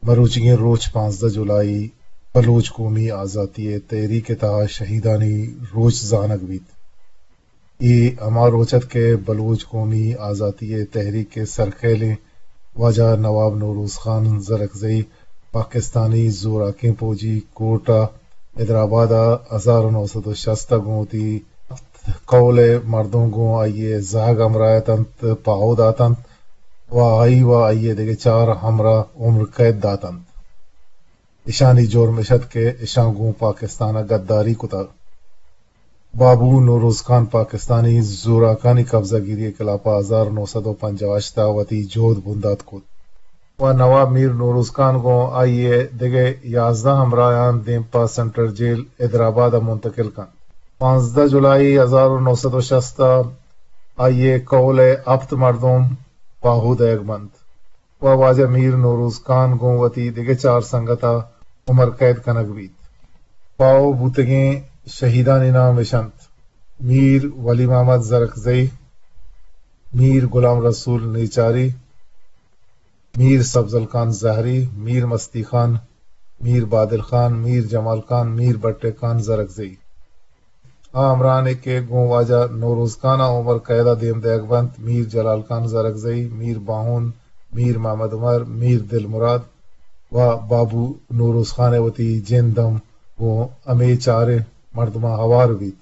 مروچیگیں روچ پانزدہ جولائی بلوچ قومی آزاتی ءِ تحریک ءِ تہا شہیدانی روچ زانگ بیت۔ اے ہما روچ ات کہ بلوچ قومی آزاتی ءِ تحریک ءِ سرخیلیں واجہ نواب نوروز خان زرکزئی پاکستانی زوراکیں پوجی کورٹ ءَ حیدرآباد ءَ ہزار و نو سد و شست ءَ گوں وتی ہپت کہول ءِ مردم گوں آئی ءِ زہگ ہمراہ اتنت، پاہو داتنت و آئی و آئی ءِ دگہ چار ہمراہ عمر قید داتنت۔ اشانی جرم اش ات کہ اشاں گوں پاکستان ءَ گداری کتگ۔ بابو نوروز خان پاکستانی زوراکانی قبضہ گیری ءِ خلاف ءَ ہزار نو سد و پنجاہ و ہشت ءَ وتی جہد بندات کت و نواب میر نوروز خان گوں آئی ءِ دگہ یازدہ ہمراہاں دیم پہ سنٹرل جیل حیدرآباد ءَ منتقل کنت۔ پانزدہ جولائی ہزار و نو سد و شست ءَ آئی ءِ کہول ءِ ہپت مردم پاہو دئیگ بنت و واجہ میر نوروز خان گوں وتی دگہ چار سنگت ءَ عمر قید کنگ بیت۔ پاہو بوتگیں شہیدانی نام اش انت: میر ولی محمد زرکزئی، میر غلام رسول نیچاری، میر سبزل خان زہری، میر مستی خان، میر بادل خان، میر جمال خان، میر بٹے خان زرکزئی۔ آ ہمراہانے کہ گوں واجہ نوروز خان ءَ عمر قید ءَ دیم دئیگ بنت: میر جلال خان زرکزئی، میر باہون، میر محمد عمر، میر دل مراد و بابو نوروز خان ءِ وتی جند ہم گوں ہمے چاریں مردماں ہوار بیت۔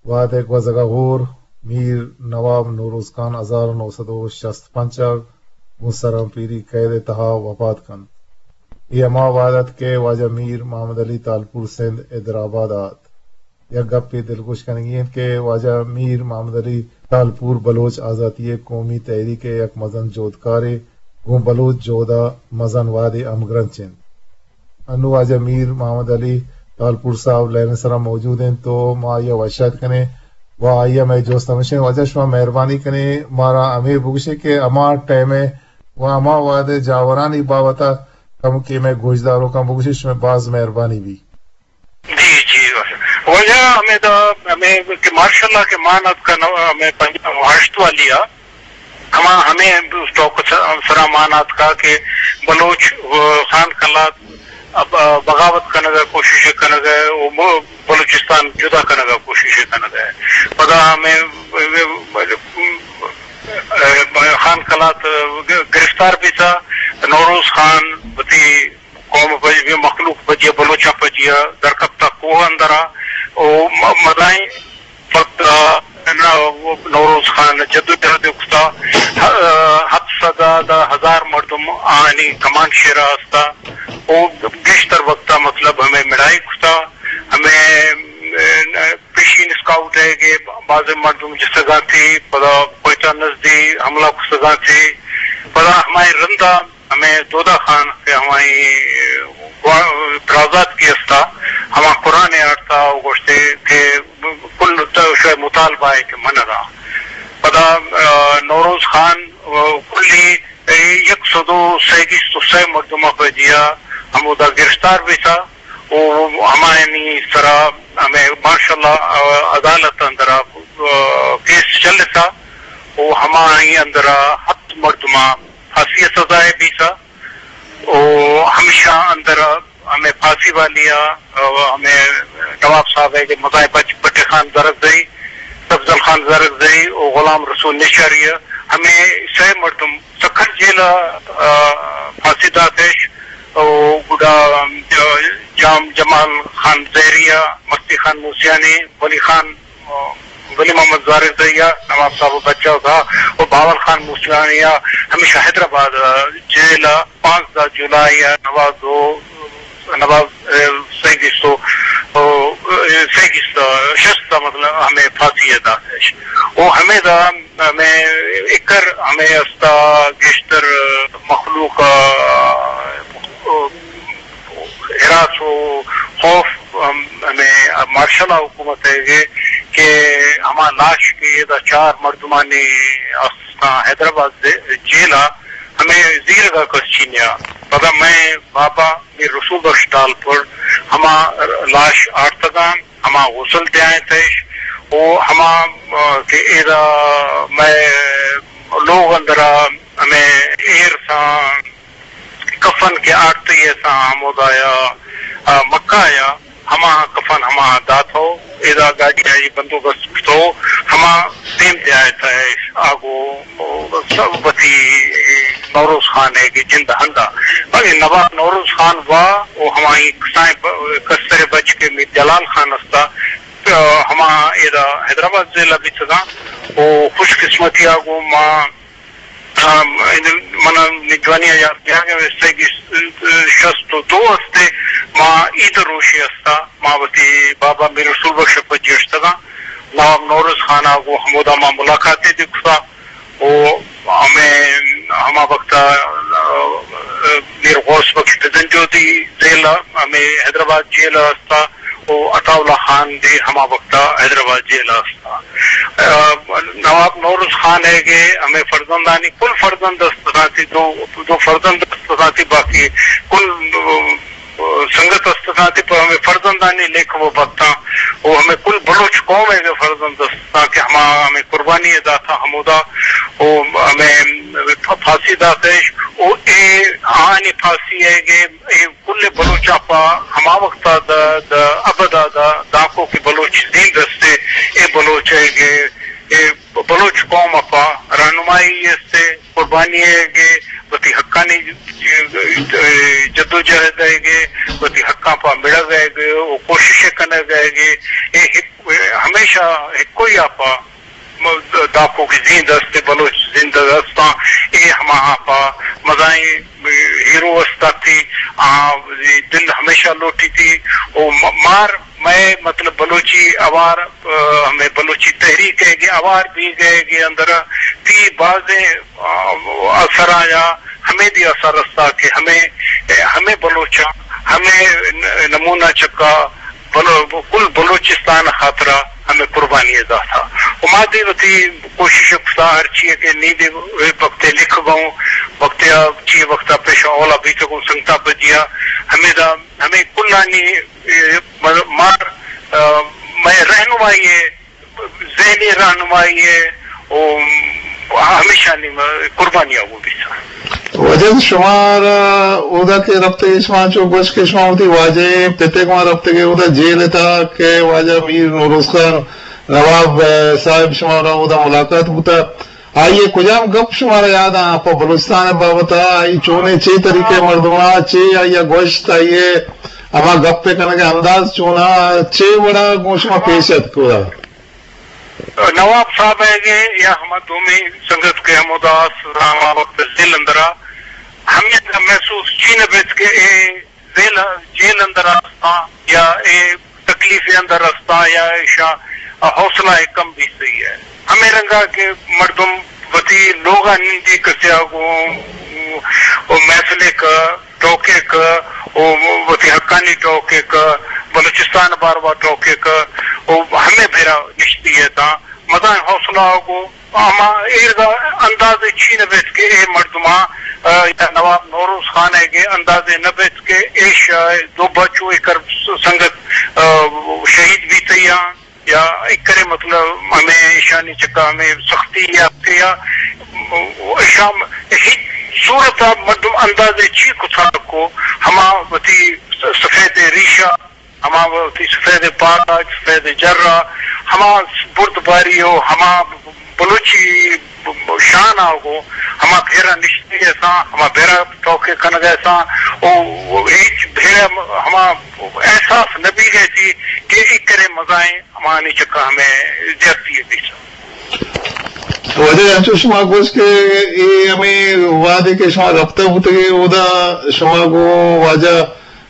وہدے گوزگ ءَ ہور میر نواب نوروز خان ہزار و نو سد و شست پنچ ءَ گوں سرامپیری قید ءِ تہا وپات کنت۔ اے ہما وہد ات کہ واجہ میر محمد علی تالپور سندھ حیدرآباد ءَ ات۔ یک گپے دلگوش کنگی انت کہ واجہ میر محمد علی تالپور بلوچ آزاتی ءِ قومی تحریک ءِ یک مزن جہدکارے، گوں بلوچ جہد ءَ مزن وہدے ہمگرنچ انت۔ انوں واجہ میر محمد علی تالپور صاحب لائن ءِ سرا موجود انت تو ما آئی ءَ وش آتک کنیں و آئی ءَ مئے جست ہمیش انت، واجہ شما مہربانی کنیں مارا ہمے بگوشے کہ ہما ٹائم ءَ و ہما وہد ءِ جاورانی بابت ءَ کمکے مئے گوشداروکاں بگوشے، شمئے باز مہربانی بی۔ جی، جی۔ واجہ ہمے دا، ہمے کہ مارشل لا کہ مان اتکا نو، ہمے پنجاہ و ہشت والی آ، ہما ہمے توک س-، سرا مان اتکا کہ بلوچ، آ، خان قلات اب، آ، بغاوت کنگا کوشش کنگا، و م-، بلوچستان جدا کنگا کوشش کنگا۔ پدا ہمے، آ، خان قلات گ-، گرفتار بیتا، نوروز خان وتی قوم پجی، مخلوق پجی، بلوچاں پجی درکپتا کوہ اندرا۔ او م-، مدائیں وقت، آ، نوروز خان جدوجہد کتا۔ ہ-، ہپت سد دا ہزار مردم آنی کمانڈ شیرا استا۔ او گیشتر وقتا مطلب ہمیں مڑائی کتا۔ ہمیں، آ، پیشین اسکاؤٹ ہے کہ بعض مردم جستگاں تھی، پدا کوئٹہ نزدی حملہ کستگاں تھی۔ پدا ہمائیں رندا ہمے دودا خان کہ ہمائی گوا-، برازاتکی استا، ہما قرآن آرتا و گوشتے کہ کل تو شوئے مطالبہ ہے کہ من را۔ پدا، آ، نوروز خان، آ، کلی یک سد و سیگیست و سئے مردماں پہ دیا ہمودا گرفتار بیتا و ہمایانی سرا ہمے مارشل لا، آ، عدالت اندرا، آ، کیس چلتا و ہمائی اندرا ہپت مردماں پھاسی ءِ سزا ءَ بیتا و ہمیشاں اندر ہمے پھاسی والی ءَ، ہمے نواب صاحب ءِ مزاحم بچ-، بٹے خان زرکزئی، سبزل خان زرکزئی و غلام رسول نیشاری ءَ ہمے سئے مردم سکھر جیل ءَ، آ، پھاسی داتش و گڈا جام جمال خان زہری ءَ، مستی خان موسیانی، ولی خان ولی محمد زرکزئی ءَ، نواب صاحب ءِ بچا تھا و باول خان موسیانی ءَ ہمیشہ حیدرآباد ءِ جیل ءَ پانزدہ جولائی ءَ نواز و نواز، اے، سئے گیست و، او، اے، سئے گیست، شست ءَ مطلب ہمے پھاسی ءَ داتش۔ و ہمے دا ہمے اکر ہمے استا گیشتر مخلوق ءَ ہراس و خوف، ہم، ہمے مارشل ءِ حکومت ءَ کہ، کہ ہما لاش کہ ادا چار مردمانی است حیدرآباد جیل ءَ ہمے زیرگ ءَ کس چینیا۔ پدا مئے بابا میر رسول بخش ٹالپر ہما لاش آرتگاں، ہما غسل دیائیں تیش و ہما، آ، کہ ادا مئے لوگ اندرا ہمے ایر ساں کفن کفن کہ آرتگی اتاں ہمودا یا، آ، مکہ یا ہما کفن ہما داتو، ادا گاڑی آئی بندوبست کتو، ہما دیم دیا اتاں آگو سب وتی نوروز خان ءِ کہ جند ہندا۔ بلے نواب نوروز خان وا و ہمائی کسائیں ب-، کستر بچ کہ میر جلال خان استا، ہما ادا حیدرآباد ضلع بیتگاں و خوش قسمتی آگو ما، آ، من نجوانی آ یاد بیاگ ءَ استگی شست و دو استے، ما عید روشے استا، ما وتی بابا میر رسول بخش پجی اشتگاں، نواب نوروز خان آگو ہمودا ما ملاقاتے دکتا۔ و ہمے ہما وقت ءَ، آ، میر غوث بخش بزنجودی جیل ءَ، ہمے حیدرآباد جیل ءَ استا، و عطا اللہ خان بھی ہما وقت ءَ حیدرآباد جیل ءَ استا۔ آ، نواب نوروز خان ءِ کہ ہمے فرزندانی کل فرزند است اتاں تی، دو، دو فرزند است اتاں تی، باقی کل، آ، سنگت است اتاں تی، پہ ہمے فرزندانی لیکہ و بتاں و ہمے کل بلوچ قوم ءِ کہ فرزند است اتاں کہ ہما ہمے قربانی ءَ داتاں ہمودا و ہمے پھاسی داتش و اے آنی پھاسی ءِ کہ اے کل بلوچاں پہ ہما وقت ءَ دا، دا ابد ءَ دا دانکو کہ بلوچ زند است، اے بلوچ ءِ کہ اے بلوچ قوم ءَ پہ رہنمائی است، قربانی ءِ کہ وتی حقانی جدوجہد ءِ کہ وتی حقاں پہ مڑگ ءِ کہ و کوشش کنگ ءِ کہ اے ہک-، ہمیشہ ہکوئی ءَ پہ دانکو کہ زند است، بلوچ زند استاں، اے ہماہاں پہ مزائیں ہیرو است تی، آ، دل ہمیشہ لوٹی تی، و م-، مار مئے مطلب بلوچی اوار، آ، ہمے بلوچی تحریک ءِ کہ اوار بیگ ءِ کہ اندر تی بازیں، آ، اثراں یا ہمے دی اثر استا کہ ہمے، ہمے بلوچاں، ہمے ن-، نمونہ چکا بلو-، کل بلوچستان خاطرا ہمے قربانی ءَ داتا۔ و ما دی وتی کوشش کتا ہر چیئے کہ نی دی وقتے لکھ گوں، وقتے آ چی وقتا پیشا اولا بیت گوں سنگتا پجیا، ہمے دا، ہمے کلانی، اے، مار، آ، مئے رہنمائی ءِ ذہنی رہنمائی ءِ و ہمیشانی قربانی ءَ وہ بیت۔ واجہ شمارا اودا کہ رپتگے، شما چو گوش کہ شما وتی واجہ پتے گما رپتگے اودا جیل ءِ تہا کہ واجہ میر نوروز خان نواب، اے، صاحب شمارا اودا ملاقات بوتا۔ آئی ءِ کجام گپ شمارا یاد آں پہ بلوچستان ءِ بابت ءَ؟ آئی چونیں چے طریقے مردماں چے آئی ءَ گوشت، آئی ءِ ہما گپ ءِ کنگ ءِ انداز چون آں، چے وڑا گوں شما پیش اتک اودا؟ نواب صاحب ءِ کہ یا ہما دومی سنگت کہ ہمودا است، ہما وقت جیل اندرا ہمے محسوس چی نہ بیت کہ اے جیل، جیل اندر استاں یا اے تکلیف اندر استاں یا ایشاں حوصلہ ءِ کم بیتگی ءِ۔ ہمے رنگا کہ مردم وتی لوگا نندی کسیا گوں و محفلے کہ ٹوکے کہ و وتی حقانی ٹوکے کہ بلوچستان باروا ٹوکے کہ و ہمے بھیرا نشتی اتاں، مزائیں حوصلہ ءَ گوں ہما ایرگا اندازے چی نہ بیت کہ اے مردماں، آ، یا نواب نوروز خان ءِ کہ اندازے نہ بیت کہ ایش، آ، دو بچو ایکر سنگت، آ، شہید بیتیاں یا ایکرے مطلب ہمے ایشانی چکا ہمے سختی یا یا ایشاں ہچ صورت ءَ مردم اندازے چی کتھا کو ہما وتی سفید ریشہ ہما وتی سفید پاگ، سفید جرہ، ہما بردباری و ہما بلوچی شان ءَ گوں ہما بھیرا نشتگ اتاں، ہما بھیرا ٹوکے کنگ ءَ اتاں، و ہچ بھیرا ہما احساس نہ بیگ ءَ تی کہ ایکرے مزائیں ہمانی چکا ہمے زیادتی بیت۔ واجہ انچو شما گوشت کہ اے ہمے وہدے کہ شما رپتہ بوتگے، اودا شما گوں واجہ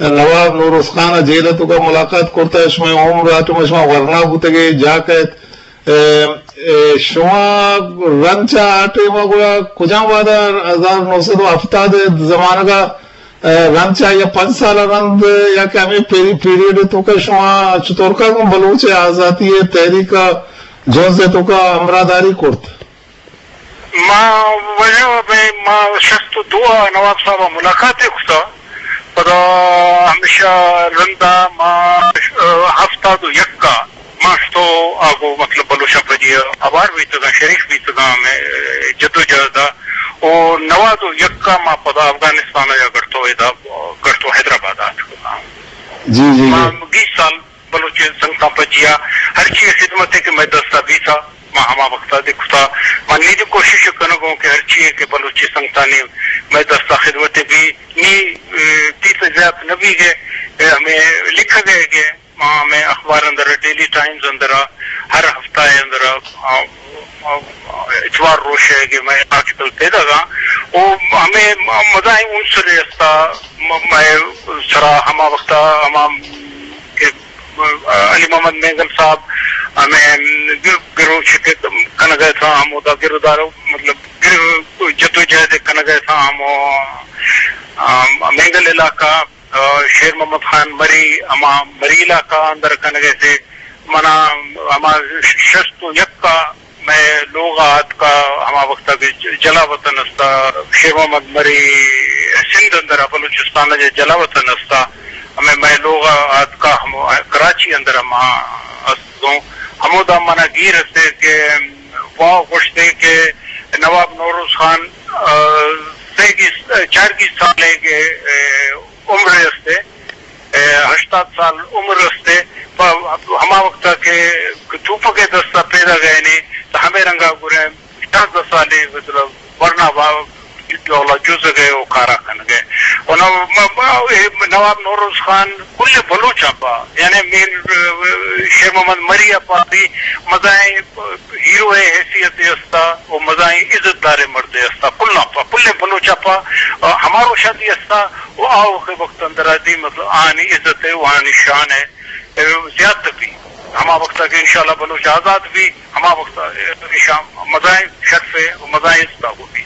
نواب نوروز خان ءَ جیل ءِ توکا ملاقات کرتہ، شمئے عمر آ ٹائم ءَ شما ورنا بوتگے، جاک ات۔ اے، اے، شما رند چہ آ ٹائم ءَ گڑا کجام وہد ءَ، ہزار نو سد و ہفتاد ءِ زمانگ ءَ، اے، رند چہ یا پنچ سال ءَ رند یا کہ ہمے پیری-، پیریڈ ءِ توکا شما چطور کا گوں بلوچ ءِ آزاتی ءِ تحریک ءَ جنز ءِ توکا ہمراہداری کرت؟ ما وجہ بہ ما شست و دو ءَ نواب صاحب ءَ ملاقات ءَ کتا۔ پدا ہمیشہ رندا ما، آ، ہفتاد و یک ءَ ما شتو آگو مطلب بلوچاں پجی ءَ ہوار بیتگاں، شریک بیتگاں ہمے جدوجہد ءَ۔ او نود و یک ءَ ما پدا افغانستان ءَ یا گڑتو ادا، گڑتو حیدرآباد ءَ اتکگاں۔ جی، جی، ما جی۔ بیست سال بلوچ سنگتاں پجیا ہرچی خدمتے کہ مئے دستا بیتا، ما ہما وقتا دے کتا۔ ما نی دے کوشش کنگوں کہ ہرچی کہ بلوچ سنگتانی مئے دستا خدمتے بی، نی، اے، تیت زیات نہ بیگے، اے، ہمیں لکھگے کہ ما ہمیں اخبار اندر، ڈیلی ٹائمز اندر، ہر ہفتہ اندر، آ، آ، آ، اتوار روش ءَ کہ مئے آرٹیکل پیداگاں، او ہمیں مزائیں عنصر استا، م-، مئے سرا ہما وقتا ہما کہ علی محمد مینگل صاحب ہمیں گر-، گروچک کنگا اتاں، ہمودا گرودار، مطلب، گر-، جدوجہد کنگا اتاں، ہمو، آ، مینگل علاقہ، آ، شیر محمد خان مری، ہما مری علاقہ اندر کنگے سے، منا ہما شست و یک ءَ مئے لوغ ءَ آتکا، ہما وقت کہ ج-، جلا وطن استا، شیر محمد مری سندھ اندر ءَ، بلوچستان ءَ جلا وطن استا، ہمیں مئے لوغ ءَ آتکا، ہم کراچی اندر ہما استوں، ہمودا منا گیر استے کہ واو گوشتے کہ نواب نوروز خان، آ، سے گیس، چار گیس سالے کہ، اے، عمر استے، اے، ہشتاد سال عمر استے، پہ ہما وقتا کہ توپک دستا پیدا گئے نے، تو ہمیں رنگا گرے شانزدہ سالے، مطلب، ورنا با-، ڈولا جز گئے و کارا کن گئے۔ و نو-، م-، م-، اے نواب نوروز خان کل بلوچ پا، یعنی میر، اے، شیر محمد مری پا بھی مزائیں ہیرو ءِ حیثیت استا و مزائیں عزت دار مردے استا، کلاں پا، کلیں بلوچ پا، آ، ہما روشا دی استا و آ وقت، وقت اندرا دی، مطلب، آنی عزت ءِ و آنی شان ءِ، اے، زیادہ بھی۔ ہما وقتا کہ انشاءاللہ بلوچ آزاد بھی، ہما وقتا، اے، ایشاں مزائیں شرف ءِ و مزائیں عزت ءَ بھی۔